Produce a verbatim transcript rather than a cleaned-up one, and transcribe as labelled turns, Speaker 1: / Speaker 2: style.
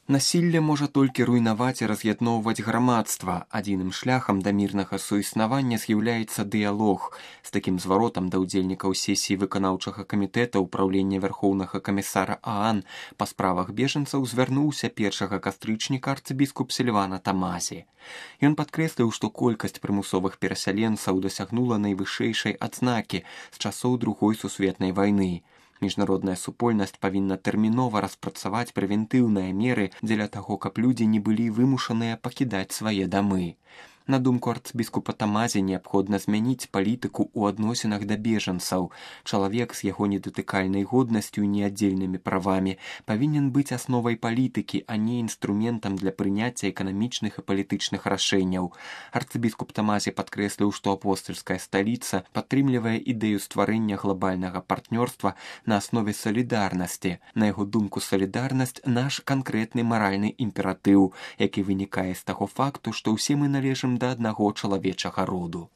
Speaker 1: Насілле можа толькі руйнаваць і раз'ядноўваць грамадства. Адзіным шляхам да мірнага суіснавання з'яўляецца дыялог. З такім зваротам да ўдзельнікаў сесіі выканаўчага камітэта ўпраўлення вярхоўнага камісара ААН па справах бежанцаў звярнуўся першага кастрычніка арцыбіскуп Сільвана Тамазі. Ён падкрэсліў, што колькасць прымусовых перасяленцаў дасягнула найвышэйшай адзнакі з часоў Другой сусветнай вайны. Міжнародная супольнасць павінна тэрмінова распрацаваць прэвентыўныя меры дзеля таго, каб людзі не былі вымушаныя пакідаць свае дамы. На думку арцыбіскупа Тамазі, неабходна змяніць палітыку ў адносінах да бежанцаў. Чалавек з яго недатыкальнай годнасцю і неаддзельнымі правамі павінен быць асновай палітыкі, а не інструментам для прыняцця эканамічных і палітычных рашэнняў. Арцыбіскуп Тамазі падкрэсліў, што апостальская сталіца падтрымлівае ідэю стварэння глобальнага партнёрства на аснове салідарнасці. На яго думку, салідарнасць наш канкрэтны маральны імператыў, які вынікае з таго факту, што ўсе мы належым да аднаго чалавечага роду.